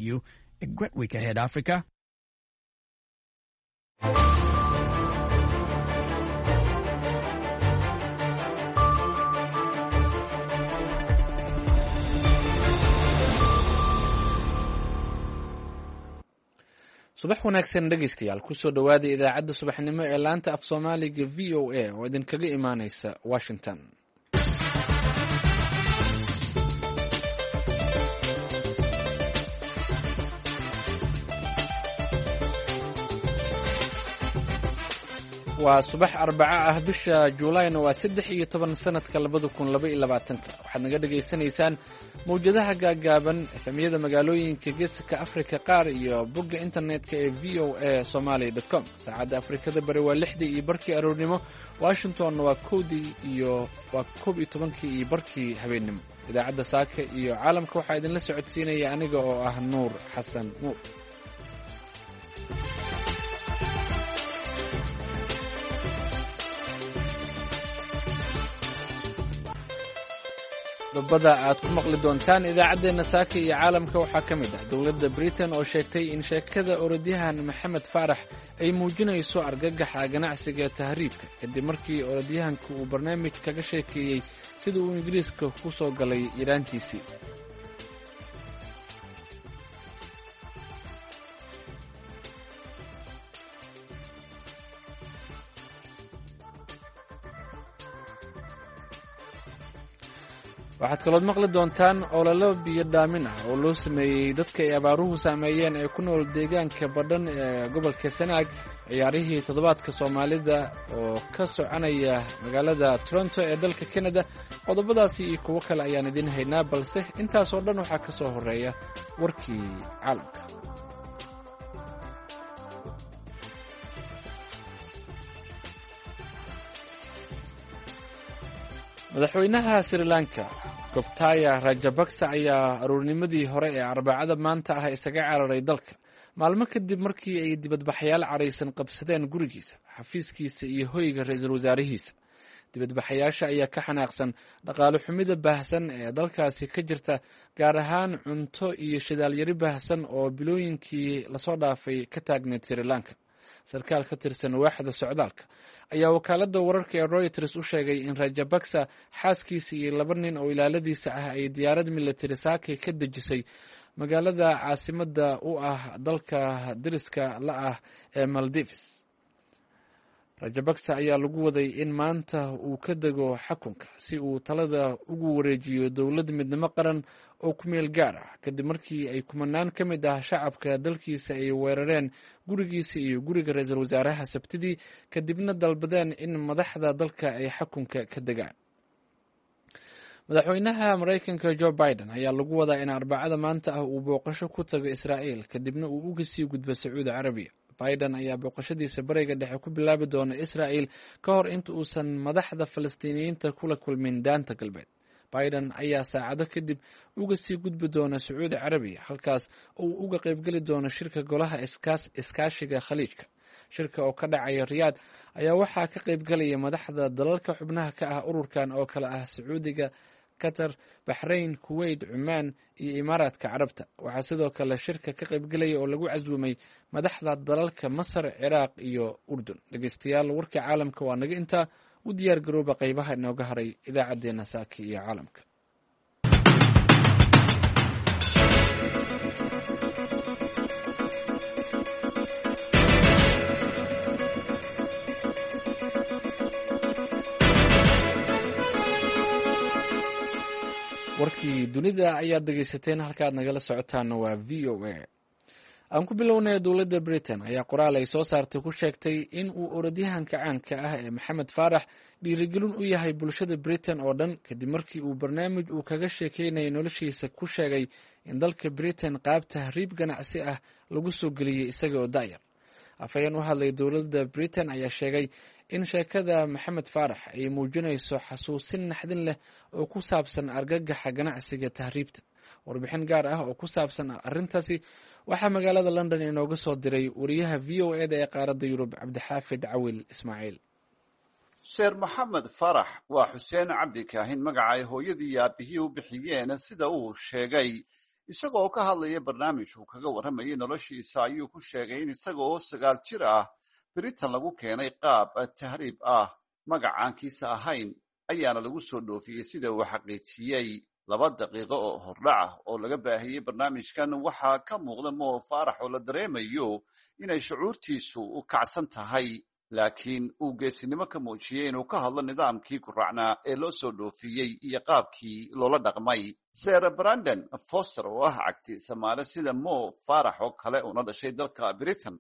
You a great week ahead, Africa. Subax wanaagsan dhegaystayaal, kusoo dhowaada idaacadda subaxnimo ee laanta af Soomaaliga VOA oo idinkaga imaaneysa Washington. Waa subax Arbaco ah, bisha Juulayna waa 13 sanadka 2022-ka. Waxaad naga dhagaysanaysaan mawjadaha gaagaaban, efemyada magaalooyinka Geeska Afrika qaar iyo bogga internetka ee VOA Somaly com. Saacadda Afrikada Bari waa 6:30 aroornimo, Washingtonna waa 1dii iyo waa 11-kii iyo barkii habeennimo. Idaacadda saaka iyo caalamka waxaa idinla socodsiinaya aniga oo ah Nuur Xasan Nuur. Qodobada aad ku maqli doontaan idaacaddeenna saaka iyo caalamka waxaa ka mid ah dowladda Britain oo sheegtay in sheekada orodyahan Maxamed Faarax ay muujinayso argagaxa ganacsiga tahriibka, kadib markii orodyahanku uu barnaamij kaga sheekeeyey sida uu Ingiriiska ku soo galay yaraantiisii. Waxaad kalood maqli doontaan ololo biyo dhaamin ah oo loo sameeyey dadka ay abaaruhu saameeyeen ee ku nool deegaanka Badhan ee gobolka Sanaag, ciyaarihii toddobaadka Soomaalida oo ka soconaya magaalada Toronto ee dalka Canada. Qodobadaasi iyo kuwo kale ayaan idiin haynaa, balse intaasoo dhan waxaa ka soo horreeya warkii caalamka. Madaxweynaha Sri Lanka Gobtaya Rajabaksa ayaa aruurnimadii hore ee Arbacada maanta ah isaga cararay dalka, maalmo kadib markii ay dibadbaxayaal caraysan qabsadeen gurigiisa, xafiiskiisa iyo hoyga ra-iisul wasaarihiisa. Dibadbaxayaasha ayaa ka xanaaqsan dhaqaale xumida baahsan ee dalkaasi ka jirta, gaar ahaan cunto iyo shidaalyari baahsan oo bilooyinkii lasoo dhaafay ka taagneyd Sri Lanka. Sarkaal ka tirsan waaxda socdaalka ayaa wakaaladda wararka ee Royters u sheegay in Rajabaksa, xaaskiisa iyo laba nin oo ilaaladiisa ah ay diyaarad military saakay ka dejisay magaalada caasimadda u ah dalka deriska la ah ee Maldives. Rajabaksa ayaa lagu waday in maanta uu ka dego xakunka si uu talada ugu wareejiyo dowlad midnimo qaran oo ku meel gaar ah, kadib markii ay kumanaan ka mid ah shacabka dalkiisa ay weerareen gurigiisa iyo guriga ra-iisul wasaaraha Sabtidii, kadibna dalbadeen in madaxda dalka ay xakunka ka degaan. Madaxweynaha Maraykanka Jo Biden ayaa lagu wadaa in Arbacada maanta ah uu booqasho ku tago Israa'iil, kadibna uu uga sii gudbo Sacuudi Carabiya. Biden ayaa booqashadiisa Bariga Dhexe ku bilaabi doona Israa'il ka hor inta uusan madaxda Falastiiniyiinta kula kulmin Daanta Galbeed. Biden ayaa saacado kadib uga sii gudbi doona Sacuudi Carabiya, halkaas oo uu uga qaybgeli doono shirka Golaha Iskaashiga Khaliijka. Shirka oo ka dhacaya Riyaad ayaa waxaa ka qaybgalaya madaxda dalalka xubnaha ka ah ururkan oo kale ah Sacuudiga, Qatar, Baxrayn, Kuweyt, Cumaan iyo Imaaraadka Carabta. Waxaa sidoo kale shirka ka qaybgelaya oo lagu casuumay madaxda dalalka Masar, Ciraaq iyo Urdun. Dhegeystayaal, warka caalamka waa naga intaa. U diyaar garooba qeybaha inooga haray idaacaddeenna saaka iyo caalamka. Warkii dunida ayaad dhegeysateen, halkaaad nagala socotaana waa VOA. Aan ku bilownay, dowladda Britain ayaa qoraal ay soo saartay ku sheegtay in uu orodyahanka caanka ah ee Maxamed Faarax dhiirigelin u yahay bulshada Britain oo dhan, kadib markii uu barnaamij uu kaga sheekeynayay noloshiisa ku sheegay in dalka Britain qaab tahriib ganacsi ah lagu soo geliyey isaga oo da'yar. Afhayeen u hadlay dowladda Britain ayaa sheegay in sheekada Maxamed Faarax ay muujinayso xasuusin naxdin leh oo ku saabsan argagaxa ganacsiga tahriibta. Warbixin gaar ah oo ku saabsan arrintaasi waxaa magaalada London inooga soo diray wariyaha VOA da ee qaaradda Yurub, Cabdixaafid Cawil Ismaaciil. Seer Maxamed Farax waa Xuseen Cabdi Kaahin, magaca ay hooyadii iyo aabihii u bixiyeen, sida uu sheegay Isaga oo ka hadlaya barnaamij uu kaga warramayay noloshiisa ayuu ku sheegay in isaga oo 9 jir ah Britain lagu keenay qaab tahriib ah, magacaankiisa ahayn ayaana lagu soo dhoofiyey sida uu xaqiijiyey. 2 daqiiqo oo hordhac ah oo laga baahiyey barnaamijkan waxaa ka muuqda Mo Faarax oo la dareemayo inay shucuurtiisu u kacsan tahay, laakiin uu geesinimo ka muujiyey inuu ka hadlo nidaamkii guraacnaa ee loo soo dhoofiyey iyo qaabkii loola dhaqmay. Sir Brandon Foster oo ah cagti samaale sida Mo Faarax oo kale una dhashay dalka Britain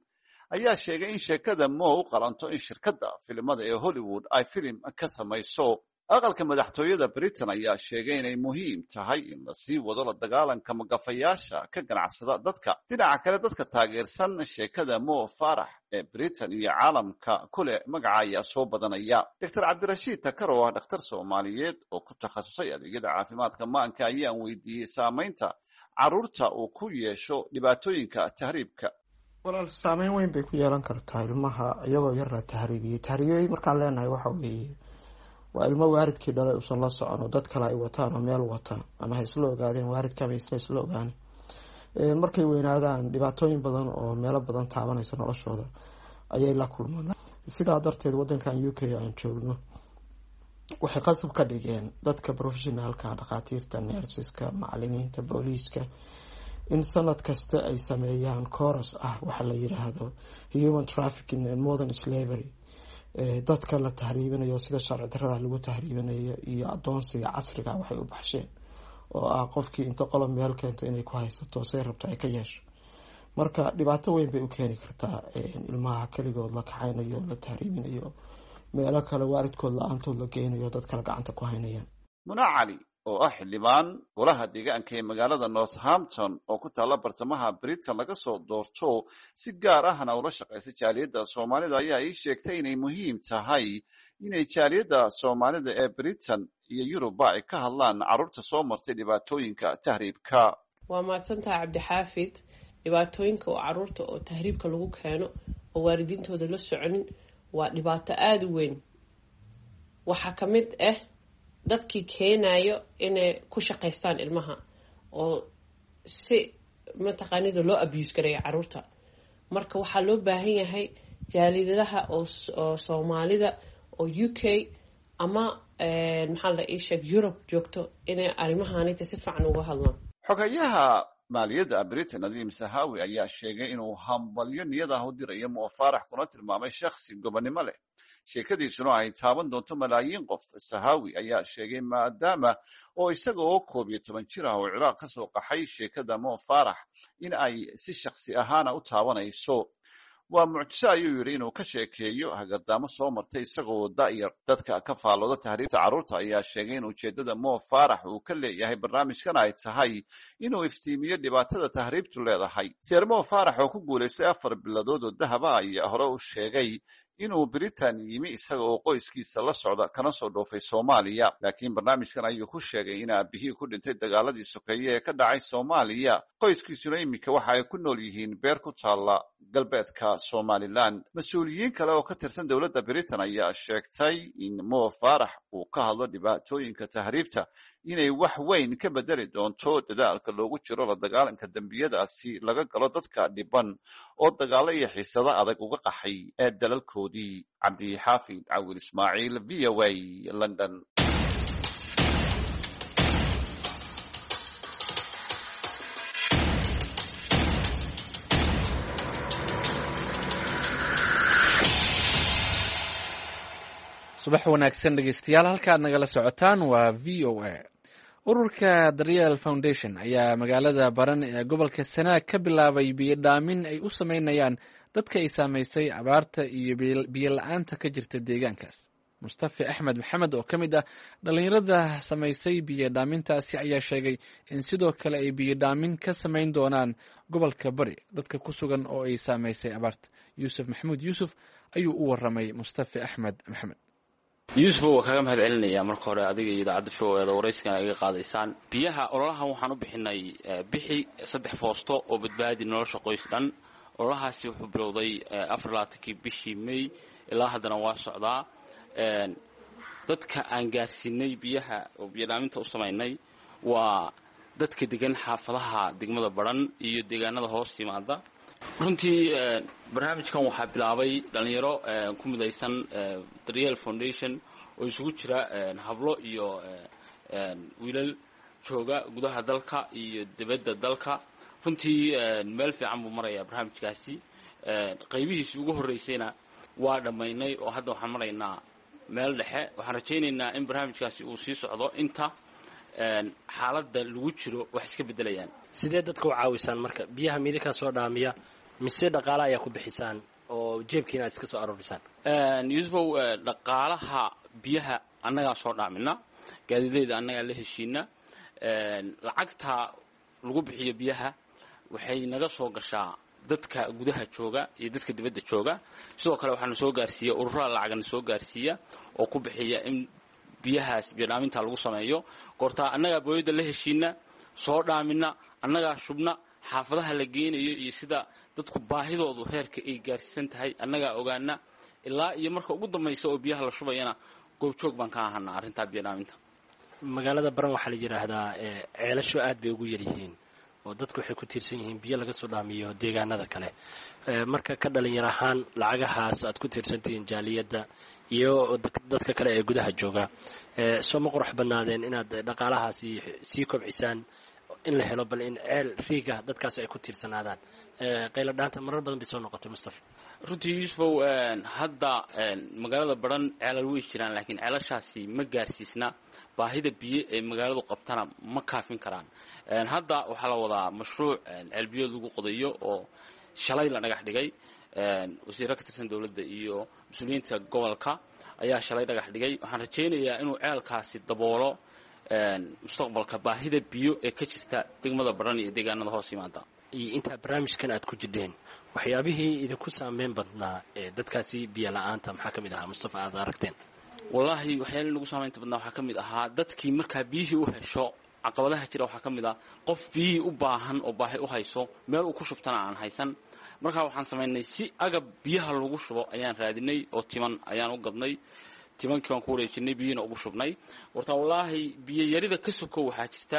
ayaa sheegay in sheekada Mo u qalanto in shirkadda filimada ee Hollywood ay filim ka samayso. Aqalka madaxtooyada Britain ayaa sheegay inay muhiim tahay in la sii wado la dagaalanka magafayaasha ka ganacsada dadka. Dhinaca kale, dadka taageersan sheekada Mo Faarax ee Britain iyo caalamka kule magaca ayaa soo badanaya. Dr. Cabdirashiid Takar oo ah dhakhtar Soomaaliyeed oo ku takhasusay adeegyada caafimaadka maanka ayaan weydiiyey saamaynta carruurta uu ku yeesho dhibaatooyinka tahriibka. Walaal, saameyn weyn bay ku yeelan kartaa ilmaha iyagoo yar la tahriibiyey. Tahriibiyey markaan leenahay waxa weeye waa ilmo waalidkii dhalay uusan la socon oo dad kale ay wataan oo meel wata, ama ha isla ogaadeen waalidka ama isla ogaani. Markay weynaadaan dhibaatooyin badan oo meelo badan taabanaysa noloshooda ayay la kulmaan. Sidaa darteed wadankan UK aan joogno waxay qasab ka dhigeen dadka professionalka, dhakhaatiirta, nersiska, macalimiinta, booliiska in sanad kasta ay sameeyaan course ah waxa la yiraahdo human trafficking and modern slavery, dadka la tahriibinayo sida sharci darrada lagu tahriibinayo iyo adoonsiga casriga waxay u baxsheen oo ah qofkii inta qolo meel keento inay ku haysato say rabto ay ka yeesho. Marka dhibaato weyn bay u keeni kartaa ilmaha keligood la kaxaynayo, la tahriibinayo, meelo kale waalidkood la-aantood la geynayo, dad kale gacanta ku haynayaan. Muna Cali oo ah xildhibaan golaha deegaanka ee magaalada Northampton oo ku taalla bartamaha Britain laga soo doorto, si gaar ahna ula shaqaysa jaaliyadda Soomaalida ayaa ii sheegtay inay muhiim tahay inay jaaliyadda Soomaalida ee Britain iyo Yurubba ay ka hadlaan carruurta soo martay dhibaatooyinka tahriibka. Waa mahadsantahay Cabdixaafid. Dhibaatooyinka oo caruurta oo tahriibka lagu keeno oo waalidiintooda la soconin waa dhibaato aada u weyn. Waxaa ka mid ah dadkii keenayo inay ku shaqaystaan ilmaha oo si mataqaanida loo abuse gareeyo caruurta. Marka waxaa loo baahan yahay jaalidadaha oo Soomaalida oo UK ama maxaa la ii sheeg Europe joogto inay arrimahanita si fiican uga hadlaan. Xogayaha maaliyadda Britain Nadiim Sahawi ayaa sheegay inuu hambalyo niyad ah u dirayo Mo Faarax kuna tilmaamay shakhsi gobonimo leh, sheekadiisuna ay taaban doonto malaayiin qof. Sahawi ayaa sheegay maadaama oo isaga oo 11 jir ah oo Ciraaq ka soo qaxay sheekada Mo Faarax in ay si shakhsi ahaana u taabanayso. Waa mucjiso ayuu yidhi inuu ka sheekeeyo hagardaamo soo martay isagoo da'yar. Dadka ka faallooda tahriibta carruurta ayaa sheegay in ujeeddada Mo Faarax uu ka leeyahay barnaamijkan ay tahay inuu iftiimiyo dhibaatada tahriibtu leedahay. Sir Mo Faarax oo ku guulaystay 4 biladood oo dahaba ayaa hore u sheegay inuu Britain yimi isaga oo qoyskiisa la socda kana soo dhoofay Soomaaliya, laakiin barnaamijkan ayuu ku sheegay in aabihii ku dhintay dagaaladii sokeeye ee ka dhacay Soomaaliya. Qoyskiisuna iminka waxa ay ku nool yihiin beer ku taalla galbeedka Somaliland. Mas-uuliyiin kale oo ka tirsan dowladda Britain ayaa sheegtay in Mo Faarax uu ka hadlo dhibaatooyinka tahriibta inay wax weyn ka bedeli doonto dadaalka loogu jiro la dagaalanka dembiyadaasi laga galo dadka dhiban oo dagaalo iyo xiisado adag uga qaxay ee dalalkoodii. Cabdixaafid Cawil Ismaaciil, VOA, London. Subax wanaagsan dhegeystayaal, halka aad nagala socotaan waa VOA. Ururka Daryeel Foundation ayaa magaalada Baran ee gobolka Sanaag ka bilaabay biyodhaamin ay u sameynayaan dadka ay saamaysay abaarta iyo biyo la-aanta ka jirta deegaankaas. Mustafa Axmed Maxamed oo ka mid ah dhallinyarada samaysay biyodhaamintaasi ayaa sheegay in sidoo kale ay biyodhaamin ka samayn doonaan gobolka Bari dadka ku sugan oo ay saamaysay abaarta. Yuusuf Maxamuud Yuusuf ayuu u waramay Mustafa Axmed Maxamed. Yuusuf, waa kaaga mahad celinayaa marka hore adiga iyo idaacadda VOA da waraysigan iga qaadaysaan. Biyaha ololahan waxaan u bixinay bixi 3 foosto oo badbaadi nolosha qoys dhan. Ololahaasi wuxuu bilowday 24kii bishii May ilaa haddana waa socdaa. Dadka aan gaarsiinay biyaha oo biyodhaaminta u samaynay waa dadka degan xaafadaha degmada Badhan iyo deegaanada hoos yimaada. Runtii barnaamijkan waxaa bilaabay dhalinyaro ku midaysan Daryeel Foundation oo isugu jira hablo iyo wiilal jooga gudaha dalka iyo dibadda dalka. Runtii meel fiican buu marayaa barnaamijkaasi. Qaybihiisii ugu horreysayna waa dhammaynay oo hadda waxaan maraynaa meel dhexe. Waxaan rajaynaynaa in barnaamijkaasi uu sii socdo inta xaaladda lagu jiro wax iska beddelayaan. Sidee dadka u caawisaan marka? Biyaha miidinkaa soo dhaamiya mise dhaqaale ayaa ku bixisaan oo jeebkiina aad iska soo aroorisaan? Yuusufow, dhaqaalaha biyaha annagaa soo dhaamina, gaadiidleyda annagaa la heshiina. Lacagta lagu bixiyo biyaha waxay naga soo gashaa dadka gudaha jooga iyo dadka dibadda jooga. Sidoo kale waxaana soo gaarsiiya ururada lacagana soo gaarsiiya oo ku bixiya in biyahaas biyodhaaminta lagu sameeyo. Goortaa annagaa booyadda la heshiina, soo dhaamina, annagaa shubna, xaafadaha la geenayo iyo sida dadku baahidoodu heerka ay gaarsiisan tahay annagaa ogaana. Ilaa iyo marka ugu dambaysa oo biyaha la shubayana goobjoog baan ka ahanaa arrintaa biyodhaaminta. Magaalada Baran waxaa la yidhaahdaa ceelashu aad bay ugu yaryihiin oo dadku waxay ku tiirsan yihiin biyo laga soo dhaamiyo deegaanada kale. Marka ka dhalinyar ahaan lacagahaas aad ku tiirsantihiin jaaliyadda iyo dadka kale ee gudaha jooga, soo ma qurux badnaadeen inaad dhaqaalahaasi sii kobcisaan, in la helo bal in ceel riigah dadkaasi ay ku tiirsanaadaan? Qaylo dhaanta marar badan bay soo noqotay, Mustafa. Runtii Yuusufow, hadda magaalada Badhan ceelal way jiraan, laakiin ceelashaasi ma gaarsiisna baahida biyo ee magaaladu qabtana, ma kaafin karaan. Hadda waxaa la wadaa mashruuc ceelbiyood lagu qodayo oo shalay la dhagax dhigay. Wasiiro ka tirsan dowladda iyo mas-uuliyiinta gobolka ayaa shalay dhagax dhigay. Waxaan rajaynayaa inuu ceelkaasi daboolo mustaqbalka baahida biyo ee ka jirta degmada Badhan iyo deegaanada hoos yimaada. Iyo intaa barnaamijkan aad ku jidheen, waxyaabihii idinku saameyn badnaa ee dadkaasi biyo la-aanta maxaa ka mid ahaa, Mustafa, aad aragteen? Wallaahi, waxyaalihii nagu saamaynta badnaa waxaa ka mid ahaa dadkii markaa biyihii u hesho. Caqabadaha jira waxaa ka mid ah qof biyihii u baahan oo baahi u hayso, meel uu ku shubtana aan haysan. Markaa waxaan samaynay si agab biyaha lagu shubo ayaan raadinay oo timan ayaan u gadnay. Timankii baan ku wareejinay, biyihiina ugu shubnay. Warta wallaahi biyo yarida ka sokow waxaa jirta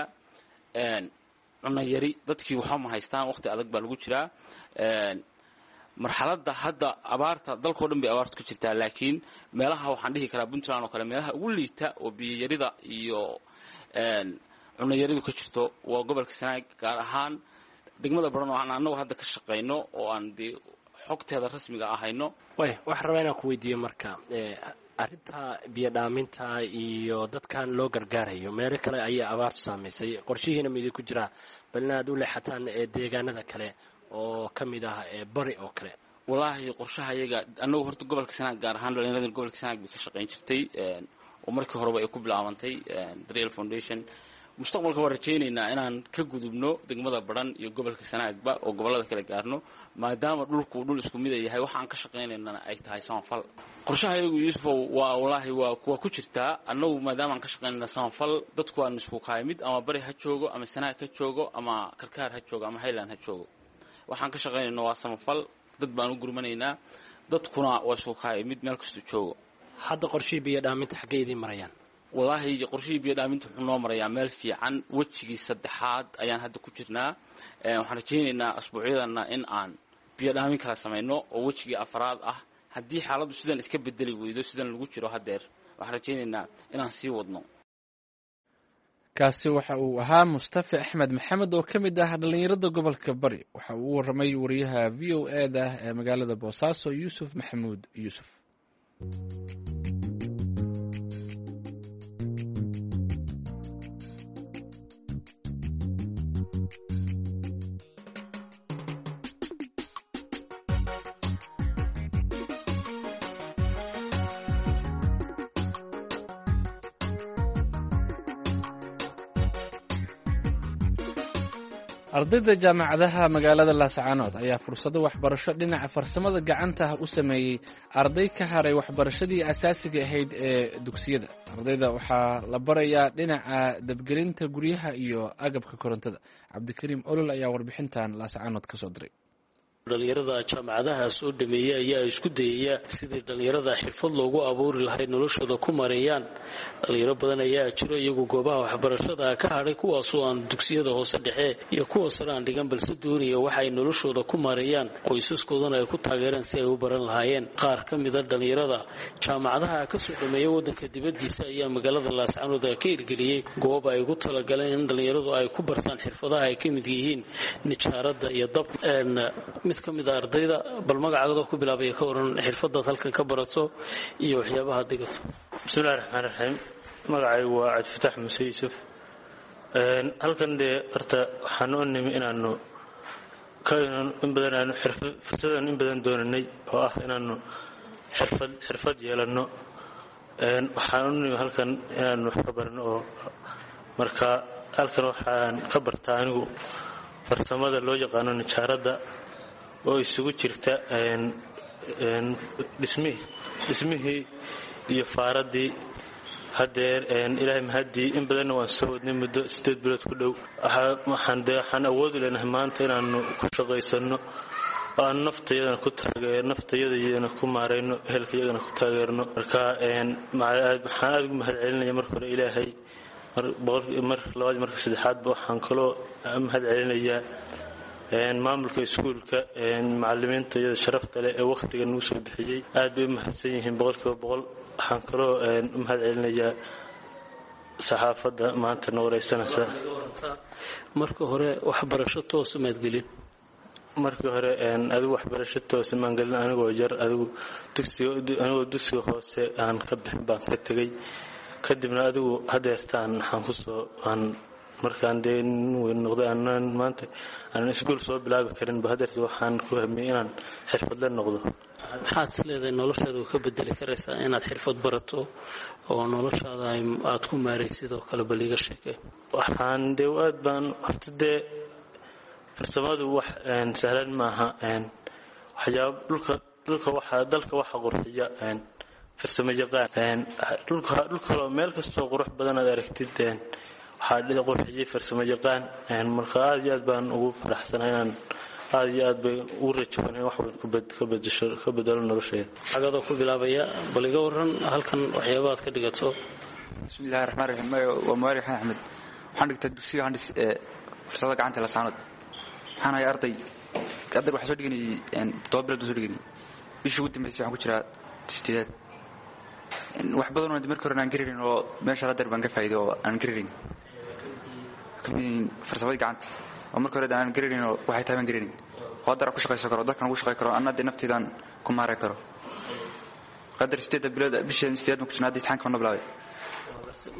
cunno yari. Dadkii waxba ma haystaan, waqti adag baa lagu jiraa. Marxaladda hadda abaarta dalkao dhan bay abaartu ka jirtaa, laakiin meelaha waxaan dhihi karaa Puntland oo kale meelaha ugu liita oo biyoyarida iyo cunno yaridu ka jirto waa gobolka Sanaag, gaar ahaan degmada Baran oo aan annagu hadda ka shaqayno oo aan dee xogteeda rasmiga ahayno. Way waxaan rabaa inaan ku weydiiyo marka arrinta biyo dhaaminta iyo dadkan loo gargaarayo, meelo kale ayaa abaartu saamaysay. Qorshihiina ma idinku jiraa bal inaad u leexataan deegaanada kale oo ka mid ah bari oo kale? Wallaahi qorshaha iyaga annagu horta gobolka Sanaag, gaar ahaan dhalinyarada gobolka Sanaag bay ka shaqayn jirtay oo markii horeba ay ku bilaabantay Daryeel Foundation. Mustaqbalka waan rajaynaynaa inaan ka gudubno degmada Badhan iyo gobolka Sanaagba oo gobollada kale gaarno, maadaama dhulku dhul isku mida yahay, waxaan ka shaqaynaynana ay tahay samafal. Qorshaha iyagu, Yuusufow, waa wallaahi waa ku jirtaa. Annagu maadaama aan ka shaqaynayna samafal, dadku waan isku kahay mid, ama bari ha joogo ama Sanaag ha joogo ama Karkaar ha joogo ama Highland ha joogo, waxaan ka shaqaynayna waa samafal. Dad baan u gurmanaynaa, dadkuna waa isku kahay mid meel kastuu joogo. Hadda qorshihii biyo dhaaminta xaggay idiin marayaan? Wallaahi qorshihii biyo dhaaminta wuxuu noo marayaa meel fiican. Wejigii saddexaad ayaan hadda ku jirnaa. Waxaan rajaynaynaa asbuucyadana in aan biyo dhaamin kala samayno oo wejigii afaraad ah. Haddii xaaladdu sidan iska bedeli weydo, sidan lagu jiro haddeer, waxaan rajaynaynaa inaan sii wadno. Kaasi waxa uu ahaa Mustafa Axmed Maxamed oo ka mid ah dhallinyarada gobolka Bari. Waxa uu u warramay wariyaha v o e da ee magaalada Boosaaso, Yuusuf Maxamuud Yuusuf. Ardayda jaamacadaha magaalada Laascaanood ayaa fursado waxbarasho dhinaca farsamada gacanta ah u sameeyey arday ka haray waxbarashadii asaasiga ahayd ee dugsiyada. Ardayda waxaa la barayaa dhinaca dabgelinta guryaha iyo agabka korontada. Cabdikariim Olol ayaa warbixintan Laascaanood ka soo diray. Dhalinyarada jaamacadaha soo dhameeyey ayaa isku dayaya sidii dhalinyarada xirfad loogu abuuri lahay noloshooda ku mareeyaan. Dhalinyaro badan ayaa jiro iyagu goobaha waxbarashada ka hadhay, kuwaasoo aan dugsiyada hoose dhexe iyo kuwa sare aan dhigan, balse doonaya waxa ay noloshooda ku mareeyaan, qoysaskoodana ay ku taageeraan si ay u baran lahaayeen. Qaar ka mida dhalinyarada jaamacadaha kasoo dhameeya wadanka dibadiisa ayaa magaalada Laascanood ka hirgeliyey goob ay ugu talagaleen in dhalinyaradu ay ku bartaan xirfadaha ay ka mid yihiin nijaaradda iyo dab. Mid ka mid a ardayda, bal magacaagado ku bilaabaya, ka waran xirfadaad halkan ka barato iyo waxyaabaha digato. Bismillahi raxmaan raxiim. Magacaygu waa Cabdifatax Muuse Yuusuf. Halkan dee horta waxaan u nimi inaanu in badan aanu fursadan in badan doonanay oo ah inaanu xirfad yeelanno. Waxaan u nimi halkan inaanu wax ka barano, oo marka halkan waxaan ka bartaa anigu farsamada loo yaqaano nijaaradda, oo isugu jirta dhismihii iyo faaraddii. Hadeer ilaahay mahaddii, in badanna waan soo wadnay muddo 8 bilood ku dhow. Waxaan dee waxaan awoodi leenahay maanta inaanu ku shaqaysanno oo aan naftayadana ku taageer, naftayadayana ku maarayno, ehelkayagana ku taageerno. Marka waxaan aada ugu mahad celinaya marka hore Ilaahay, mar labaad, marka saddexaadba waxaan kaloo mahad celinayaa maamulka iskuulka, macalimiinta iyada sharafta leh ee wakhtiga nagu soo bixiyey. Aad bay u mahadsan yihiin 100%. Waxaan kaloo u mahad celinayaa saxaafadda maanta na wareysanaysa. Marka hore waxbarasho toosa maad gelin? Markii hore adigu waxbarasho toosa maan gelin. Anigoo yar, adigu dugsiga, anigoo dugsiga hoose aan ka bixin baan ka tegey. Kadibna adigu hadeertaan waxaan kusoo aan markaan dee nin weyn noqday, aanan maanta aanan iskuul soo bilaabi karinba, hadeerta waxaan ku hamiyey inaan xirfadle noqdo. Maxaad is leedahay noloshaada ka bedeli karaysaa inaad xirfad barato oo noloshaada aad ku maaraysid oo kale? Bal iiga sheekay. Waxaan dee aad baan horta dee farsamadu wax sahlan maaha. Waxyaaba dhulka waxa dalka waxa qurxiya farsamo yaqaan. Dhulka dhulkaloo meel kastoo qurux badan aad aragtid waxaa qurxiyey farsamo yaqaan. Marka aad iyo aad baan ugu faraxsanahay inaan aad iyo aad bay ugu rajawan in wax weyn ka bedesho, ka bedelo nolosheeda. Cagadoo ku bilaabaya, bal iga waran halkan waxyaabaha aad ka dhigato. Bismillahi raxmaan raxiim. Waa Mubaarek Axmed. Waxaan dhigtaa dugsiga Handis ee farsamada gacanta Laascaanood. Waxaan ahay arday. Ardayga waxaan soo dhiganayay 7 bilood baan soo dhiganayay. Bishii ugu dambeysay waxaan ku jiraa sideedaad. Wax badan oo markii hore aan garanayn oo meesha hadeer baan ka faa'iiday oo aan garanayn, kamid yihiin farsamada gacanta oo markii hore aan garanayn oo waxay tahay baan garanayn, oo haddana ku shaqaysan karo, dalkan ugu shaqay karo, anna dee nafteydaan ku maareyn karo. Qadar 8 bilood, bishii sideed baan ku jirnaa, hadda imtixaanka baan bilaabay.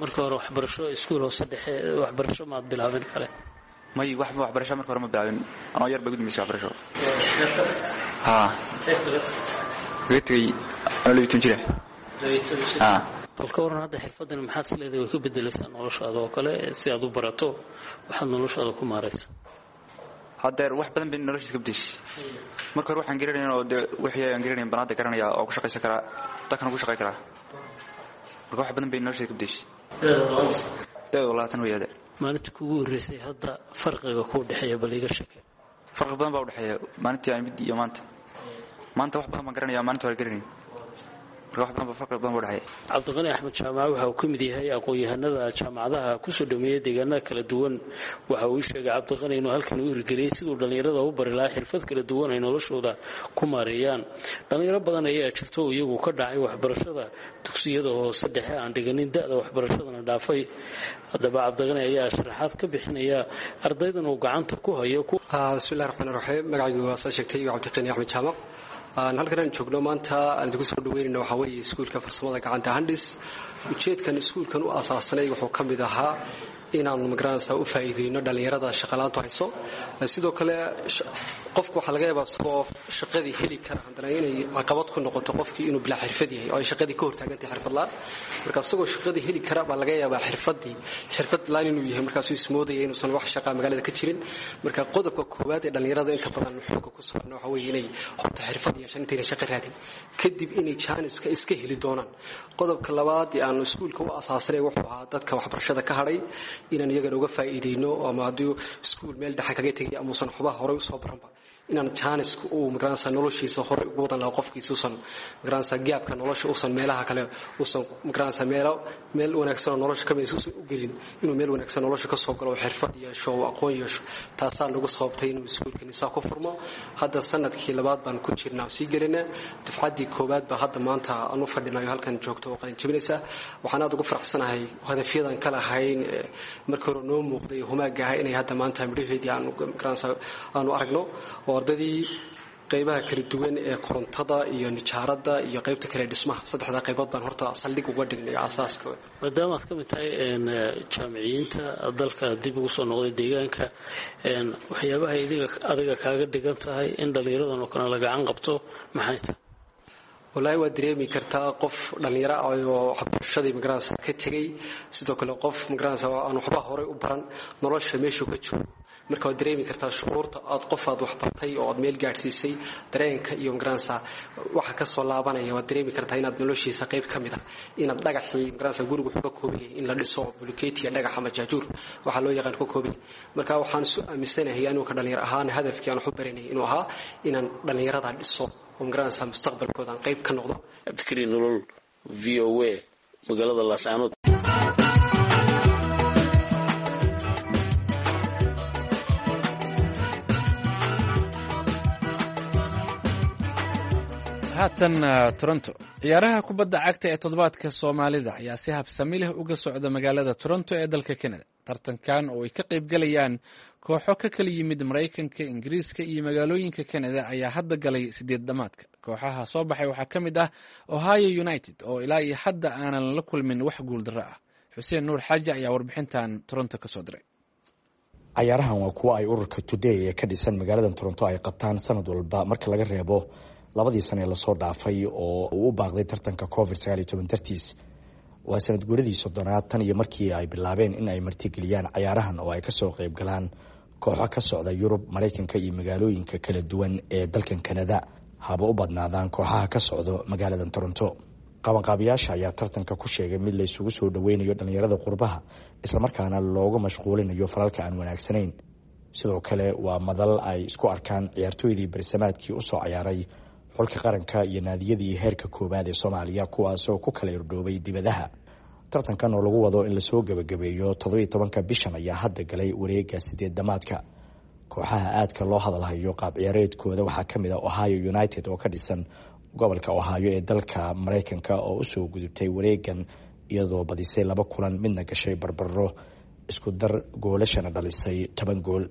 Marka hore waxbarasho iskuul hoose dhexe waxbarasho maad bilaabin kale? May, wax waxbarasho marka hore ma bilaabin. Anoo yar bay ugu dambeysay waxbarasho. Haa, kaga tegey anoo 12 jira. Bal ka waran hadda xirfadan, maxaad is leedahay way ka bedelaysaa noloshaada oo kale si aad u barato waxaad noloshaada ku maaraysa? Hadeer wax badan bay noloshiis ka bedeshay. Marka hore waxaan garanayn oo dee wixii aan garanayn baan hadda garanaya oo ku shaqaysan karaa, dalkan ugu shaqay karaa. Marka wax badan bay nolosheeda ka bedeshay. Da'du 20 wey hadeer. Maalinta kugu horreysay hadda farqiga kuu dhexeeya bal iiga sheekay. Farqi badan baa udhexeeya maalintii aan mid iyo maanta. Maanta wax badan baan garanaya, maalinta hore garanayn. Marka wax badan ba, farqi badan baa udhexeeya. Cabdiqani Axmed Jaamac waxa uu ka mid yahay aqoon-yahanada jaamacadaha kusoo dhameeyey deegaanada kala duwan. Waxa uu sheegay Cabdiqani inuu halkan u hirgeliyey siduu dhallinyarada u bari lahaa xirfad kala duwan ay noloshooda ku maareeyaan. Dhallinyaro badan ayaa jirto oo iyagu ka dhacay waxbarashada dugsiyada hoose dhexe, aan dhiganin, da'da waxbarashadana dhaafay. Haddaba Cabdiqani ayaa sharaxaad ka bixinaya ardaydan uu gacanta ku hayo. Bismillahi raxmaan raxiim. Magacaygu waa saa sheegtay Cabdiqani Axmed Jaamac. Halkan aan joogno maanta aan idinku soo dhaweynayno waxaa weeye iskuulka farsamada gacanta Handis. Ujeedkan iskuulkan u asaasanay wuxuu ka mid ahaa inaanu magaranaysaa u faa'iideyno dhallinyarada shaqalaantu hayso. Sidoo kale qofku waxaa laga yaabaa isagoo shaqadii heli kara haddana inay caqabad ku noqoto qofkii inuu bilaa xirfad yahay oo ay shaqadii ka hortaagantahay xirfad la'aan. Marka isagoo shaqadii heli kara baa laga yaabaa xirfadii xirfad la'aan inuu yahay, markaasuu ismoodaya inuusan wax shaqaa magaalada ka jirin. Marka qodobka koowaad ee dhallinyarada inta badan xooga ku saarno waxa weeye inay horta xirfad yeeshaan intayna shaqo raadin, kadib inay jaaniska iska heli doonaan. Qodobka labaad ee aanu iskuulka u asaasanay wuxuu ahaa dadka waxbarashada ka hadhay inaan iyagana uga faa'iideyno, ama haddii iskuul meel dhexe kaga tegay ama uusan waxba horey usoo baranba, Inaan jaaniska uu magaranaysa noloshiisa hore ugu wadan lahaa qofkiisa, usan magaranaysa gaabka nolosha, usan meelaha kale, usan magaranaysa meelo meel wanaagsan oo nolosha kamid usan u gelin, inuu meel wanaagsan nolosha kasoo galo oo xirfad yeesho oo aqoon yeesho. Taasaa nagu sababtay inuu iskuulkani saa ku furmo. Hadda sanadkii labaad baan ku jirnaa oo sii gelinaa. Dufcaddii koowaad baa hadda maanta aan u fadhinayo halkan joogto oo qalin jebinaysa. Waxaan aad ugu faraxsanahay hadafyadan ka lahayn markii hore noo muuqday humaaga ahaa inay hadda maanta midhaheedii aanu magaranaysa aanu aragno, oo ardadii qaybaha kala duwan ee korontada iyo nijaaradda iyo qaybta kale dhismaha, saddexda qaybood baan horta saldhig uga dhignay asaaska. Maadaama aad ka mid tahay jaamiciyiinta dalka dib ugu soo noqday deegaanka, waxyaabaha adiga kaaga dhigan tahay in dhallinyaradan oo kale la gacan qabto maxay tahay? Wallaahi waad dareemi kartaa, qof dhallinyaro ah oo waxbarashadii magaranaysa ka tegey, sidoo kale qof magaranaysa aan waxba horey u baran, nolosha meeshuu ka joogo, marka waad dareemi kartaa shucuurta aad qof aad waxbartay oo aad meel gaadhsiisay dareenka iyo magaranaysa waxa ka soo laabanaya. Waad dareemi kartaa inaad noloshiisa qayb ka mid ah, inaad dhagaxii magaranaysa gurigu wuxuu ka kooban yahay in la dhiso bulkeetiya, dhagax ama jaajuur waxaa loo yaqaan ka kooban yahay. Marka waxaan isu aaminsanahay anigu ka dhallinyar ahaan hadafkii aan wax u baranayay inuu ahaa inaan dhallinyarada dhiso oo magaranaysa mustaqbalkooda aan qayb ka noqdo. Cabdikariin Nolol, V O A, magaalada Laascaanood. Haatan Toronto. Ciyaaraha kubadda cagta ee toddobaadka Soomaalida ayaa si habsami leh uga socda magaalada Toronto ee dalka Canada. Tartankan oo ay ka qaybgalayaan kooxo ka kala yimid Maraykanka, Ingiriiska iyo magaalooyinka Canada ayaa hadda galay sideed dhamaadka. Kooxaha soo baxay waxaa ka mid ah Ohio United oo ilaa iyo hadda aanan la kulmin wax guuldarro ah. Xuseen Nuur Xaaji ayaa warbixintan Toronto kasoo diray. Cayaarahan waa kuwa ay ururka Today ee ka dhisan magaalada Toronto ay qabtaan sanad walba, marka laga reebo labadii sane ee lasoo dhaafay oo uu u baaqday tartanka Covid 19 dartiis. Waa sanad guuradii 30aad tan iyo markii ay bilaabeen in ay martigeliyaan cayaarahan oo ay kasoo qayb galaan kooxo ka socda Yurub, Maraykanka iyo magaalooyinka kala duwan ee dalkan Kanada, haba u badnaadaan kooxaha ka socdo magaalada Toronto. Qabanqaabiyaasha ayaa tartanka ku sheegay mid laysugu soo dhaweynayo dhallinyarada qurbaha, islamarkaana looga mashquulinayo falalka aan wanaagsanayn. Sidoo kale waa madal ay isku arkaan ciyaartooydii barisamaadkii usoo cayaaray xulka qaranka iyo naadiyadii heerka koowaad ee Soomaaliya, kuwaasoo ku kala irdhoobay dibadaha. Tartankan oo lagu wado in lasoo gebagabeeyo 17-ka bishan ayaa hadda galay wareega sideed dhamaadka. Kooxaha aadka loo hadalhayo qaab ciyaareedkooda waxaa ka mid ah Ohio United oo ka dhisan gobolka Ohio ee dalka Maraykanka, oo usoo gudubtay wareegan iyadoo badisay laba kulan, midna gashay barbaro, isku dar goolashana dhalisay 10 gool.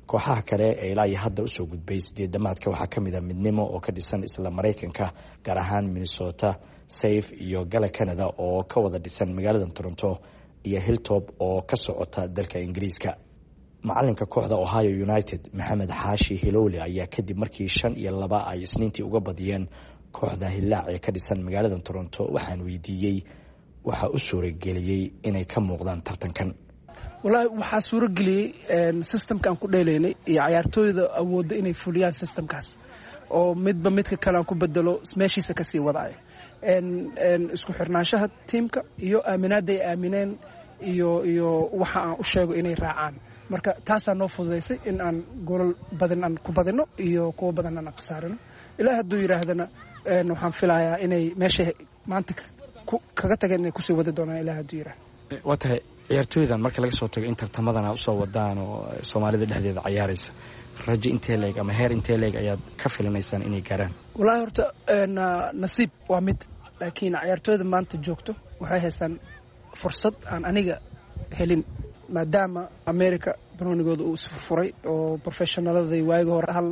Kooxaha kale ee ilaa iyo hadda usoo gudbay sideed dhamaadka waxaa kamid a Midnimo oo ka dhisan isla Maraykanka, gaar ahaan Minnesota, Safe iyo Gala Canada oo ka wada dhisan magaalada Toronto, iyo Hilltop oo ka socota dalka Ingiriiska. Macalinka kooxda Ohio United, Maxamed Xaashi Hilowle, ayaa kadib markii 5-2 ay Isniintii uga badiyeen kooxda Hillaac ee ka dhisan magaalada Toronto, waxaan weydiiyey waxaa u suurageliyey inay ka muuqdaan tartankan. Wallaahi waxaa suurageliyey systemka aan ku dheelaynay iyo cayaartooyda awoodda inay fuliyaan systemkaas, oo midba midka kale aan ku bedelo meeshiisa kasii wadaayo, isku xirnaanshaha tiimka iyo aaminaadda ay aamineen iyo waxa aan u sheego inay raacaan. Marka taasaa noo fududaysay in aan goolal badan aan ku badino iyo kuwo badan aan khasaarino. Ilaa hadduu yidhaahdana waxaan filayaa inay meeshay maanta kaga tageen inay kusii wadi doonaan, ilaa hadduu yidhaahdo. Waa tahay, ciyaartooydan marka laga soo tago in tartamadana usoo wadaan oo Soomaalida dhexdeeda cayaaraysa, rajo intee leeg ama heer intee leeg ayaad ka filanaysaan inay gaaraan? Wallaahi horta nasiib waa mid, laakiin cayaartooyda maanta joogto waxay haystaan fursad aan aniga helin, maadaama America banoonigooda uu isfurfuray oo professionaladii waagi hore hal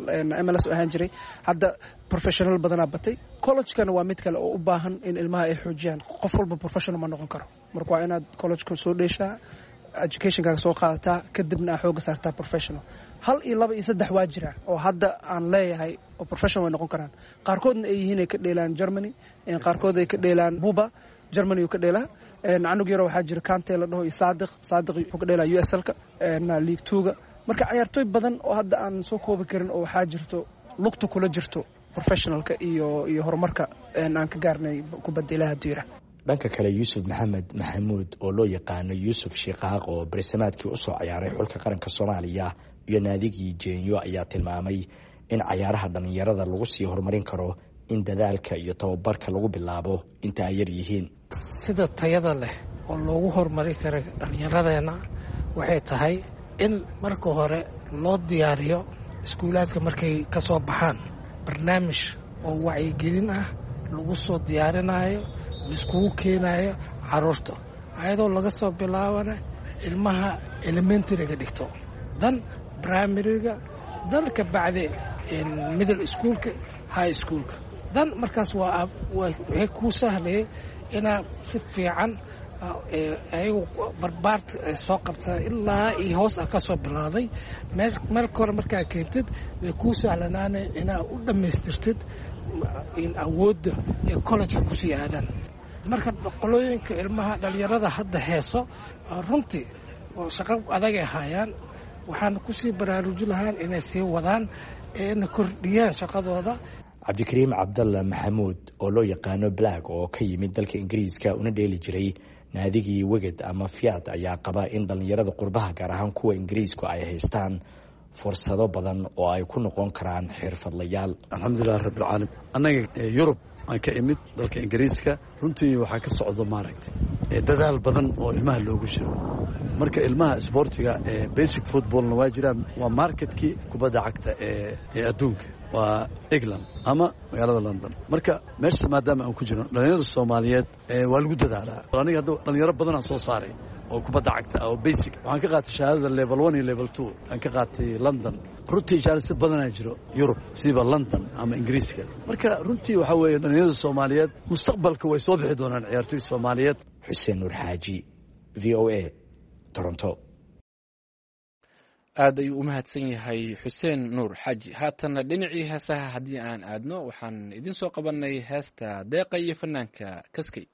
MLS u ahaan jiray, hadda professional badanaa batay. Collegekana waa mid kale oo u baahan in ilmaha ay xoojiyaan. Qof walba professional ma noqon karo, marka waa inaad collegeka soo dheeshaa, educationkaaga soo qaadataa, kadibna aa xooga saartaa professional. Hal iyo laba iyo saddex waa jiraan oo hadda aan leeyahay oo professional way noqon karaan, qaarkoodna ay yihiin ay ka dheelaan Germany, qaarkood ay ka dheelaan Buba Germany uu ka dheelaa. Canug yaro waxaa jira Kante la dhaho iyo Saadiq. Saadiq wuxuu ka dheelaa USL-ka League Two-ga. Marka cayaartooy badan oo hadda aan soo koobi karin oo waxaa jirto lugta kula jirto professionalka iyo horumarka aan ka gaarnay kubadda, ilaha hadduu yiraah. Dhanka kale, Yuusuf Maxamed Maxamuud oo loo yaqaano Yuusuf Shiikaaq oo barisamaadkii usoo cayaaray xulka qaranka Soomaaliya iyo naadigii jeenyo ayaa tilmaamay in cayaaraha dhallinyarada lagu sii horumarin karo in dadaalka iyo tababarka lagu bilaabo inta ay yar yihiin. Sida tayada leh oo loogu horumari karo dhallinyaradeenna waxay tahay in marka hore loo diyaariyo iskuulaadka markay ka soo baxaan barnaamij oo wacyigelin ah lagu soo diyaarinayo, laiskugu keenayo caruurta, ayadoo laga soo bilaabana ilmaha elementaryga dhigto, dan primaryga, dan ka bacdi middle schoolka, high schoolka, dan markaas waxay kuu sahlayay inaad si fiican ayagu barbaarta ay soo qabtaan ilaa iyo hoos ah ka soo bilaaday meel kore markaa keentid, way kuu sahlanaanay inaad u dhammaystirtid awoodda ee collegeka kusii aadaan. Marka qolooyinka ilmaha dhallinyarada hadda heeso runtii oo shaqo adagay haayaan, waxaana kusii baraaruji lahaan inay sii wadaan eena kordhiyaan shaqadooda. Cabdikariim Cabdalla Maxamuud oo loo yaqaano Black oo ka yimid dalka Ingiriiska una dheeli jiray naadigii Weged ama Fiat ayaa qaba in dhallinyarada qurbaha, gaar ahaan kuwa Ingiriisku, ay haystaan fursado badan oo ay ku noqon karaan xirfadlayaal. Alxamdulilah rabbilcaalamiin, annaga Yurub aan ka imid, dalka Ingiriiska, runtii waxaa ka socdo maaragtay dadaal badan oo ilmaha loogu jiro. Marka ilmaha isboortiga ee basic footballna waa jiraan, waa marketkii kubadda cagta ee adduunka waa England ama magaalada London. Marka meeshaas maadaama aan ku jirno, dhallinyarada Soomaaliyeed waa lagu dadaalaa. Aniga hadda dhalinyaro badanaan soo saaray oo kubadda cagta ah oo basic. Waxaan ka qaatay shahaadada level 1 iyo level 2 aan ka qaatay London. Runtii jaalisi badanaa jiro Yurub, siiba London ama Ingiriiska. Marka runtii waxaa weeye dhalinyarada Soomaaliyeed mustaqbalka way soo bixi doonaan ciyaartoy Soomaaliyeed. Xuseen Nuur Xaaji, VOA, Toronto. Aad ayuu u mahadsan yahay Xuseen Nuur Xaaji. Haatanna dhinacii heesaha haddii aan aadno, waxaan idin soo qabanay heesta Deeqa iyo fanaanka Kaskey.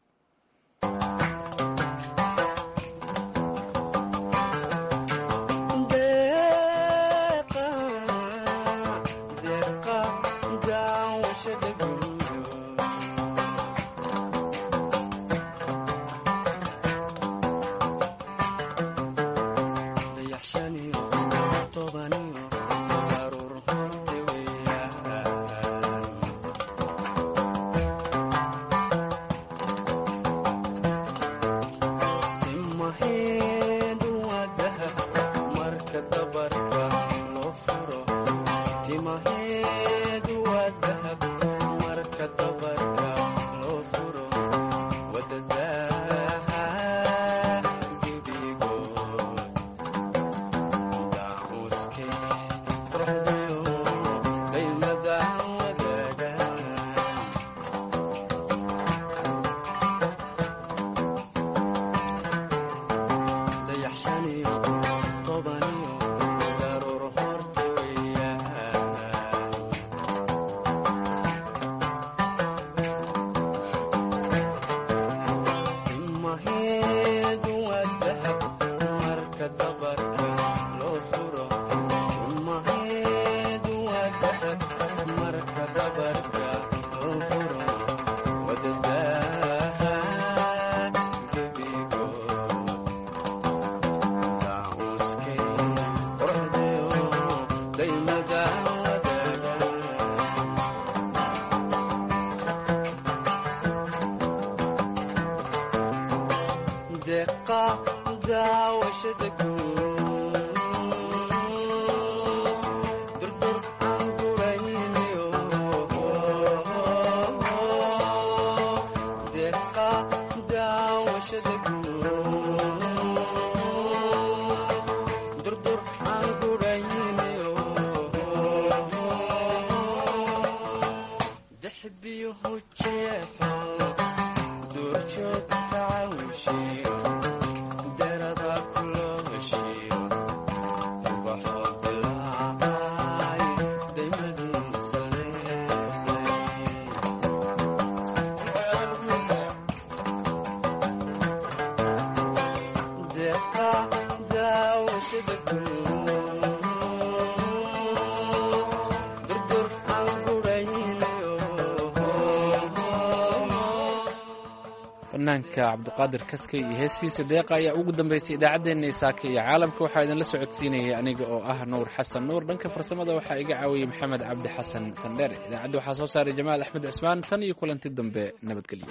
Fanaanka Cabdiqaadir Kaskey iyo heestiisa Deeqa ayaa ugu dambeysay idaacaddeenna Isaaka iyo Caalamka. Waxaa idinla socodsiinayay aniga oo ah Nuur Xasan Nuur. Dhanka farsamada waxaa iga caawiyey Maxamed Cabdi Xasan Sandheere. Idaacadda waxaa soo saaray Jamaal Axmed Cismaan. Tan iyo kulanti dambe, nabadgelyo.